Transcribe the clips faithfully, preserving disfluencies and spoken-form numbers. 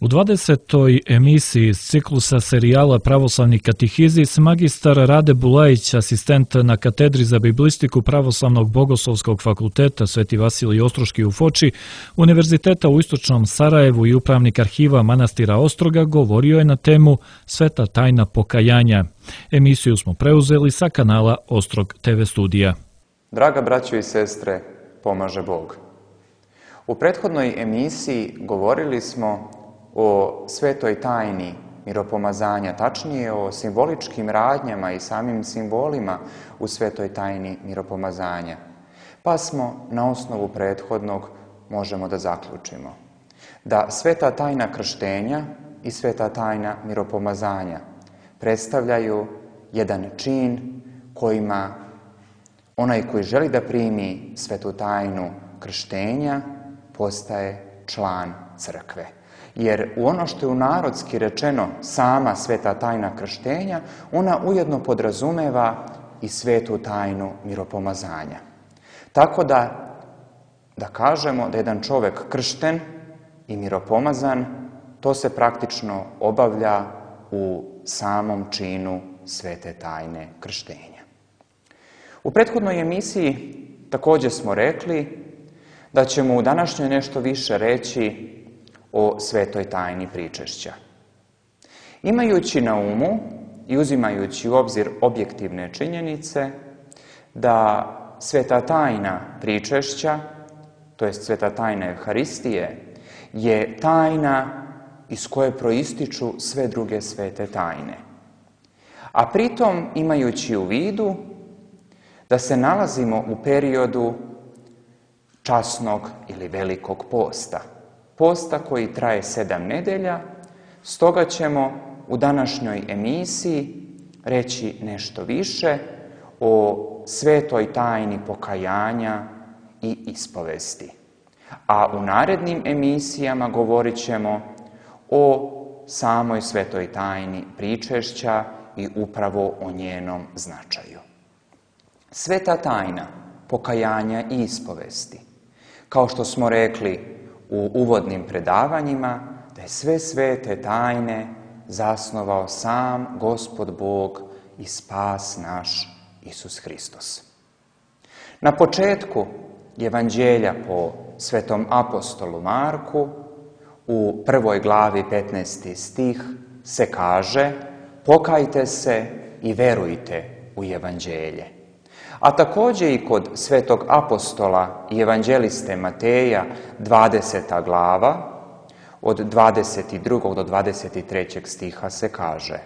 U dvadesetoj emisiji iz ciklusa serijala Pravoslavni katehizis magistar Rade Bulajić, asistent na katedri za biblistiku Pravoslavnog bogoslovskog fakulteta Sveti Vasilij Ostroški u Foči, Univerziteta u Istočnom Sarajevu i upravnik arhiva manastira Ostroga, govorio je na temu Sveta tajna pokajanja. Emisiju smo preuzeli sa kanala Ostrog te ve studija. Draga braćo i sestre, pomaže Bog. U prethodnoj emisiji govorili smo o svetoj tajni miropomazanja, tačnije o simboličkim radnjama i samim simbolima u svetoj tajni miropomazanja. Pa smo na osnovu prethodnog možemo da zaključimo da sveta tajna krštenja i sveta tajna miropomazanja predstavljaju jedan čin kojima onaj koji želi da primi svetu tajnu krštenja postaje član crkve. Jer u ono što je u narodski rečeno sama sveta tajna krštenja, ona ujedno podrazumeva i svetu tajnu miropomazanja. Tako da, da kažemo da jedan čovek kršten i miropomazan, to se praktično obavlja u samom činu svete tajne krštenja. U prethodnoj emisiji također smo rekli da ćemo u današnjoj nešto više reći o svetoj tajni pričešća. Imajući na umu i uzimajući u obzir objektivne činjenice da sveta tajna pričešća, to jest sveta tajna Evharistije, je tajna iz koje proističu sve druge svete tajne. A pritom imajući u vidu da se nalazimo u periodu časnog ili velikog posta. Posta koji traje sedam nedelja, stoga ćemo u današnjoj emisiji reći nešto više o svetoj tajni pokajanja i ispovesti. A u narednim emisijama govorit ćemo o samoj svetoj tajni pričešća i upravo o njenom značaju. Sveta tajna pokajanja i ispovesti, kao što smo rekli u uvodnim predavanjima, da je sve svete tajne zasnovao sam Gospod Bog i spas naš Isus Hristos. Na početku Evanđelja po svetom apostolu Marku, u prvoj glavi petnaesti stih se kaže: pokajte se i verujte u Evanđelje. A također i kod svetog apostola i evanđeliste Mateja, dvadeseta glava, od dvadeset drugog do dvadeset trećeg stiha se kaže: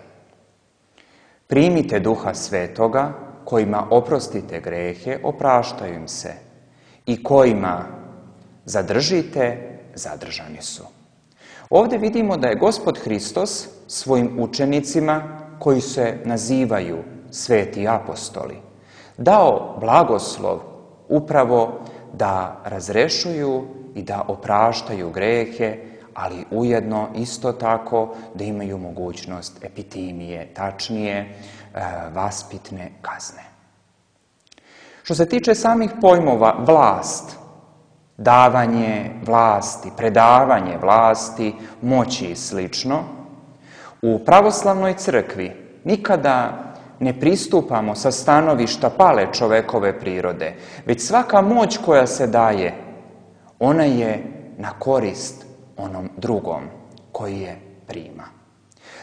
primite Duha Svetoga, kojima oprostite grehe, opraštaju im se, i kojima zadržite, zadržani su. Ovdje vidimo da je Gospod Hristos svojim učenicima, koji se nazivaju sveti apostoli, dao blagoslov upravo da razrešuju i da opraštaju grehe, ali ujedno isto tako da imaju mogućnost epitimije, tačnije vaspitne kazne. Što se tiče samih pojmova vlast, davanje vlasti, predavanje vlasti, moći i slično, u pravoslavnoj crkvi nikada ne pristupamo sa stanovišta pale čovekove prirode, već svaka moć koja se daje, ona je na korist onom drugom koji je prima.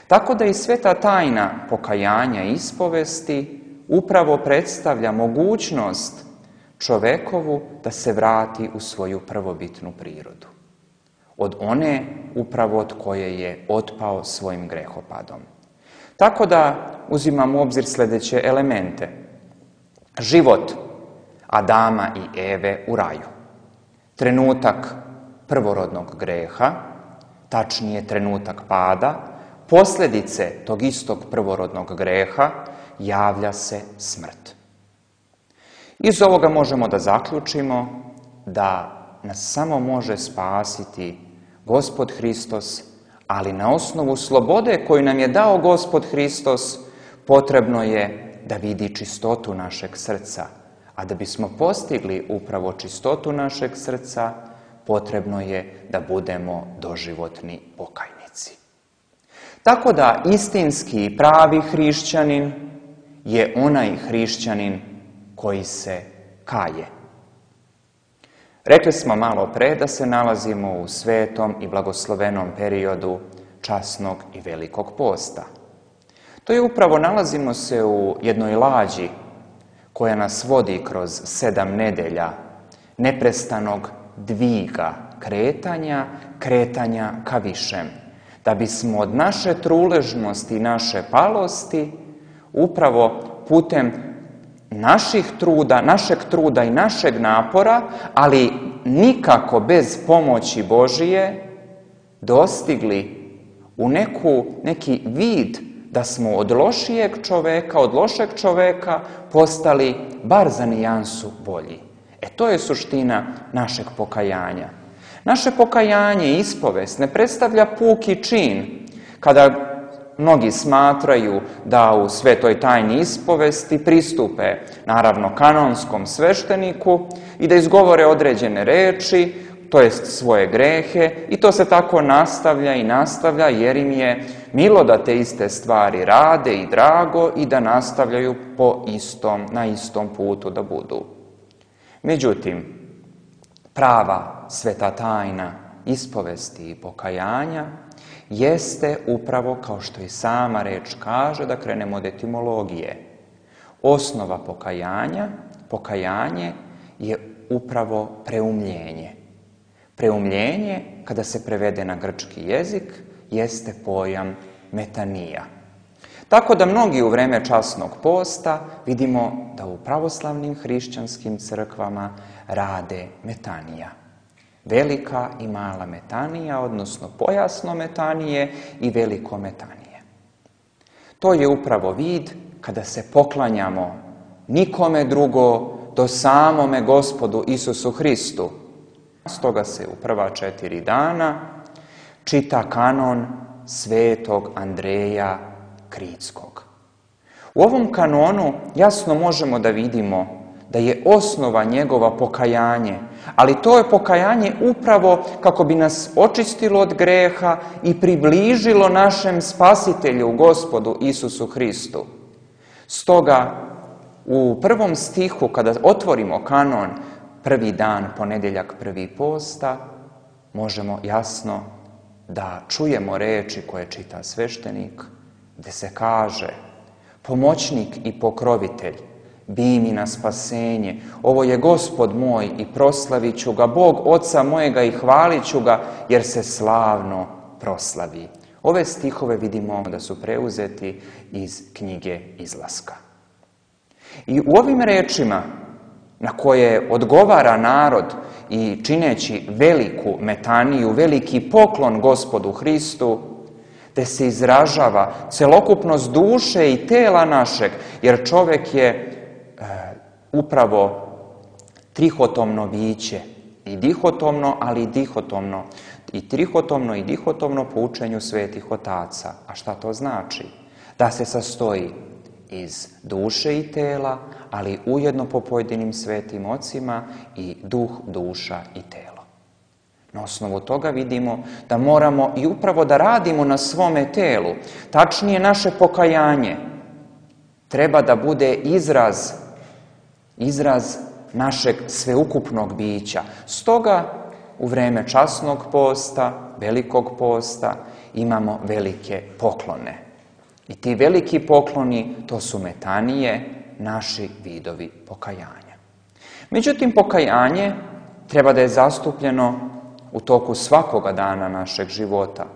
Tako da i sveta tajna pokajanja i ispovesti upravo predstavlja mogućnost čovekovu da se vrati u svoju prvobitnu prirodu. Od one upravo od koje je otpao svojim grehopadom. Tako da uzimamo u obzir sljedeće elemente. Život Adama i Eve u raju. Trenutak prvorodnog greha, tačnije trenutak pada, posljedice tog istog prvorodnog greha, javlja se smrt. Iz ovoga možemo da zaključimo da nas samo može spasiti Gospod Hristos, ali na osnovu slobode koju nam je dao Gospod Hristos, potrebno je da vidi čistotu našeg srca. A da bismo postigli upravo čistotu našeg srca, potrebno je da budemo doživotni pokajnici. Tako da istinski i pravi hrišćanin je onaj hrišćanin koji se kaje. Rekli smo malo pre da se nalazimo u svetom i blagoslovenom periodu časnog i velikog posta. To je upravo, nalazimo se u jednoj lađi koja nas vodi kroz sedam nedelja neprestanog dviga, kretanja, kretanja ka višem, da bismo od naše truležnosti i naše palosti upravo putem naših truda, našeg truda i našeg napora, ali nikako bez pomoći Božije, dostigli u neku, neki vid da smo od lošijeg čoveka, od lošeg čoveka postali bar za nijansu bolji. E to je suština našeg pokajanja. Naše pokajanje i ispovest ne predstavlja puki čin, kada mnogi smatraju da u svetoj tajni ispovesti pristupe, naravno, kanonskom svešteniku i da izgovore određene reči, to jest svoje grehe, i to se tako nastavlja i nastavlja, jer im je milo da te iste stvari rade i drago i da nastavljaju po istom, na istom putu da budu. Međutim, prava sveta tajna ispovesti i pokajanja jeste upravo, kao što i sama reč kaže, da krenemo od etimologije. Osnova pokajanja, pokajanje je upravo preumljenje. Preumljenje, kada se prevede na grčki jezik, jeste pojam metanija. Tako da mnogi u vreme časnog posta vidimo da u pravoslavnim hrišćanskim crkvama rade metanija. Velika i mala metanija, odnosno pojasno metanije i veliko metanije. To je upravo vid kada se poklanjamo nikome drugo do samome Gospodu Isusu Hristu. Stoga se u prva četiri dana čita kanon svetog Andreja Kritskog. U ovom kanonu jasno možemo da vidimo da je osnova njegova pokajanje, ali to je pokajanje upravo kako bi nas očistilo od greha i približilo našem Spasitelju, Gospodu Isusu Hristu. Stoga, u prvom stihu, kada otvorimo kanon, prvi dan, ponedjeljak, prvi posta, možemo jasno da čujemo reči koje čita sveštenik, gde se kaže: pomoćnik i pokrovitelj, bi mi na spasenje, ovo je Gospod moj i proslavit ću ga, Bog Oca mojega i hvalit ću ga, jer se slavno proslavi. Ove stihove vidimo da su preuzeti iz knjige Izlaska. I u ovim rečima, na koje odgovara narod i čineći veliku metaniju, veliki poklon Gospodu Hristu, te se izražava celokupnost duše i tela našeg, jer čovek je e, upravo trihotomno biće, i dihotomno, ali i dihotomno, i trihotomno i dihotomno po učenju svetih otaca. A šta to znači? Da se sastoji iz duše i tela, ali ujedno po pojedinim svetim ocima i duh, duša i telo. Na osnovu toga vidimo da moramo i upravo da radimo na svome telu. Tačnije, naše pokajanje treba da bude izraz, izraz našeg sveukupnog bića. Stoga, u vreme časnog posta, velikog posta, imamo velike poklone. I ti veliki pokloni, to su metanije, naši vidovi pokajanja. Međutim, pokajanje treba da je zastupljeno u toku svakoga dana našeg života,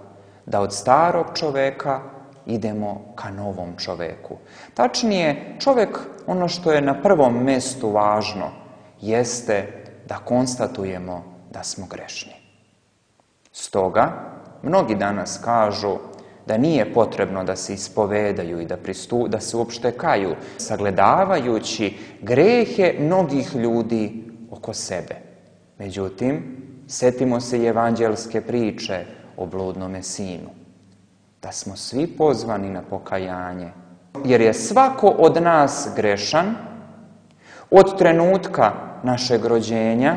da od starog čoveka idemo ka novom čoveku. Tačnije, čovek, ono što je na prvom mestu važno, jeste da konstatujemo da smo grešni. Stoga, mnogi danas kažu da nije potrebno da se ispovedaju i da, pristu, da se uopšte kaju, sagledavajući grehe mnogih ljudi oko sebe. Međutim, setimo se i evanđelske priče o bludnome sinu, da smo svi pozvani na pokajanje, jer je svako od nas grešan od trenutka našeg rođenja,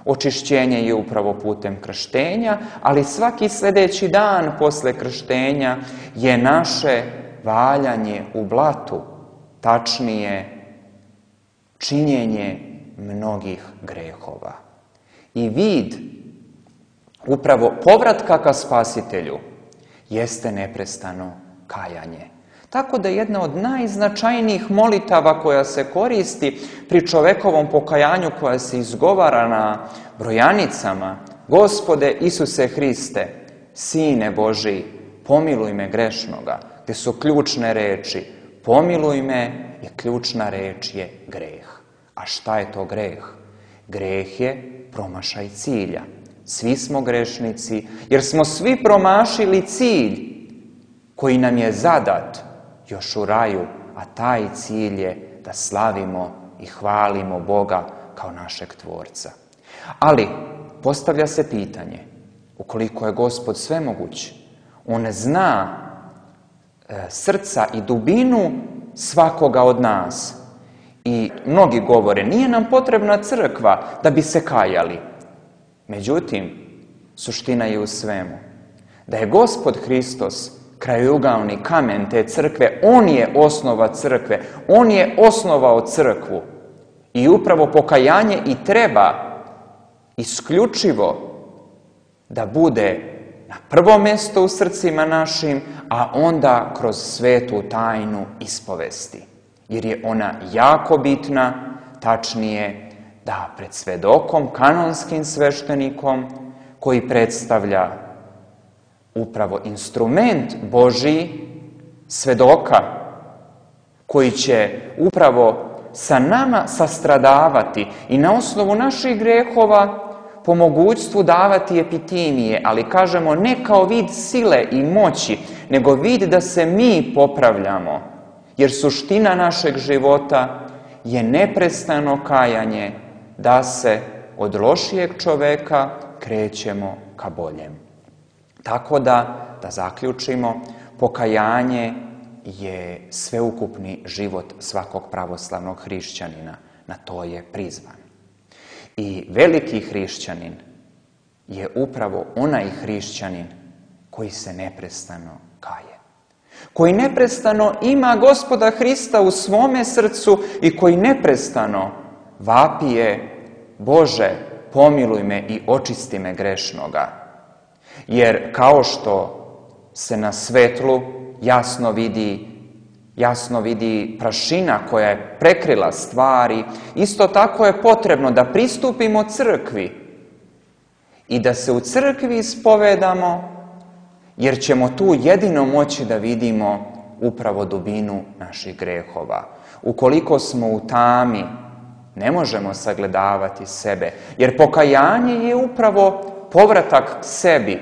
Očišćenje je upravo putem krštenja, ali svaki sljedeći dan posle krštenja je naše valjanje u blatu, tačnije činjenje mnogih grehova. I vid upravo povratka ka Spasitelju jeste neprestano kajanje. Tako da jedna od najznačajnijih molitava koja se koristi pri čovekovom pokajanju, koja se izgovara na brojanicama: Gospode Isuse Hriste, Sine Božiji, pomiluj me grešnoga, gde su ključne reči pomiluj me i ključna reč je greh. A šta je to greh? Greh je promašaj cilja. Svi smo grešnici, jer smo svi promašili cilj koji nam je zadat još u raju, a taj cilj je da slavimo i hvalimo Boga kao našeg Tvorca. Ali postavlja se pitanje, ukoliko je Gospod svemoguć, on zna e, srca i dubinu svakoga od nas. I mnogi govore, nije nam potrebna crkva da bi se kajali. Međutim, suština je u svemu. Da je Gospod Hristos krajojugalni kamen te crkve, on je osnova crkve, on je osnovao crkvu. I upravo pokajanje i treba isključivo da bude na prvo mjesto u srcima našim, a onda kroz svetu tajnu ispovesti. Jer je ona jako bitna, tačnije da pred svedokom, kanonskim sveštenikom, koji predstavlja upravo instrument Božiji, svedoka, koji će upravo sa nama sastradavati i na osnovu naših grehova po mogućstvu davati epitimije, ali kažemo ne kao vid sile i moći, nego vid da se mi popravljamo. Jer suština našeg života je neprestano kajanje, da se od lošijeg čoveka krećemo ka boljem. Tako da, da zaključimo, pokajanje je sveukupni život svakog pravoslavnog hrišćanina. Na to je prizvan. I veliki hrišćanin je upravo onaj hrišćanin koji se neprestano kaje. Koji neprestano ima Gospoda Hrista u svome srcu i koji neprestano vapije: Bože, pomiluj me i očisti me grešnoga. Jer kao što se na svetlu jasno vidi, jasno vidi prašina koja je prekrila stvari, isto tako je potrebno da pristupimo crkvi i da se u crkvi ispovedamo, jer ćemo tu jedino moći da vidimo upravo dubinu naših grehova. Ukoliko smo u tami, ne možemo sagledavati sebe, jer pokajanje je upravo povratak sebi,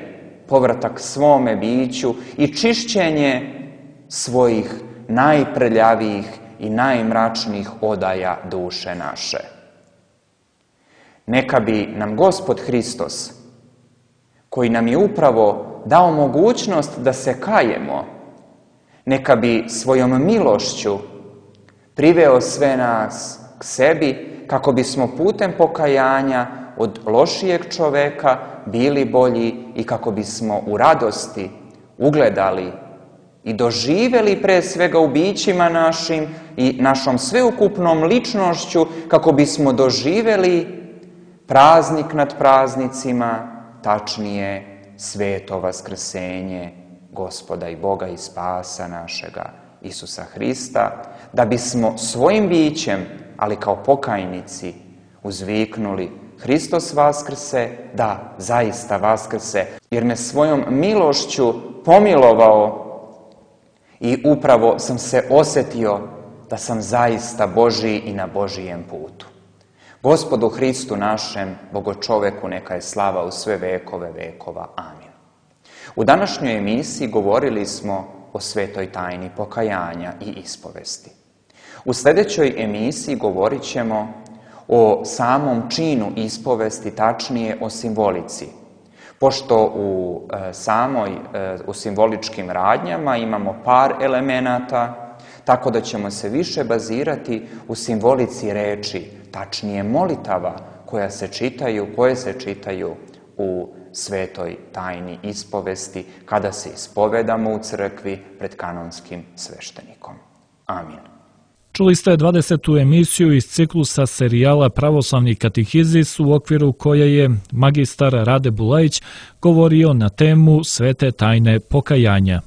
povratak svome biću i čišćenje svojih najprljavijih i najmračnijih odaja duše naše. Neka bi nam Gospod Hristos, koji nam je upravo dao mogućnost da se kajemo, neka bi svojom milošću priveo sve nas k sebi, kako bismo putem pokajanja od lošijeg čoveka bili bolji i kako bismo u radosti ugledali i doživjeli pre svega u bićima našim i našom sveukupnom ličnošću, kako bismo doživjeli praznik nad praznicima, tačnije sveto vaskrsenje Gospoda i Boga i Spasa našega Isusa Hrista, da bismo svojim bićem, ali kao pokajnici, uzviknuli: Hristos vaskrse, da, zaista vaskrse, jer me svojom milošću pomilovao i upravo sam se osjetio da sam zaista Božiji i na Božijem putu. Gospodu Hristu našem, Bogočoveku, neka je slava u sve vekove vekova. Amin. U današnjoj emisiji govorili smo o svetoj tajni pokajanja i ispovesti. U sljedećoj emisiji govorit ćemo o samom činu ispovesti, tačnije o simbolici. Pošto u e, samoj, e, u simboličkim radnjama imamo par elemenata, tako da ćemo se više bazirati u simbolici reči, tačnije molitava koja se čitaju, koje se čitaju u svetoj tajni ispovesti, kada se ispovedamo u crkvi pred kanonskim sveštenikom. Amin. Čuli ste dvadesetu emisiju iz ciklusa serijala Pravoslavni katehizis, u okviru koje je magistar Rade Bulajić govorio na temu Svete tajne pokajanja.